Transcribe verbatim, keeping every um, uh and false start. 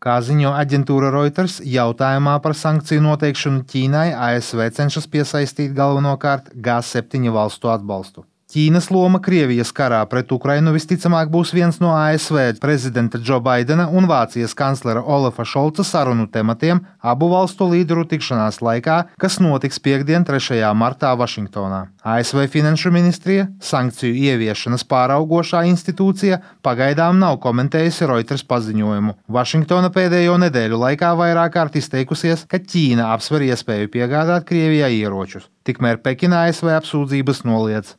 Kā ziņo aģentūra Reuters, jautājumā par sankciju noteikšanu Ķīnai A S V cenšas piesaistīt galvenokārt G septiņi valstu atbalstu. Ķīnas loma Krievijas karā pret Ukrainu visticamāk būs viens no A S V prezidenta Džo Baidena un Vācijas kanclera Olafa Šolca sarunu tematiem abu valstu līderu tikšanās laikā, kas notiks piektdien, trešajā martā Vašingtonā. A S V finanšu ministrija, sankciju ieviešanas pāraugošā institūcija, pagaidām nav komentējusi Reuters paziņojumu. Vašingtona pēdējo nedēļu laikā vairāk kārt izteikusies, ka Ķīna apsver iespēju piegādāt Krievijai ieročus. Tikmēr Pekina A S V apsūdzības noliedz.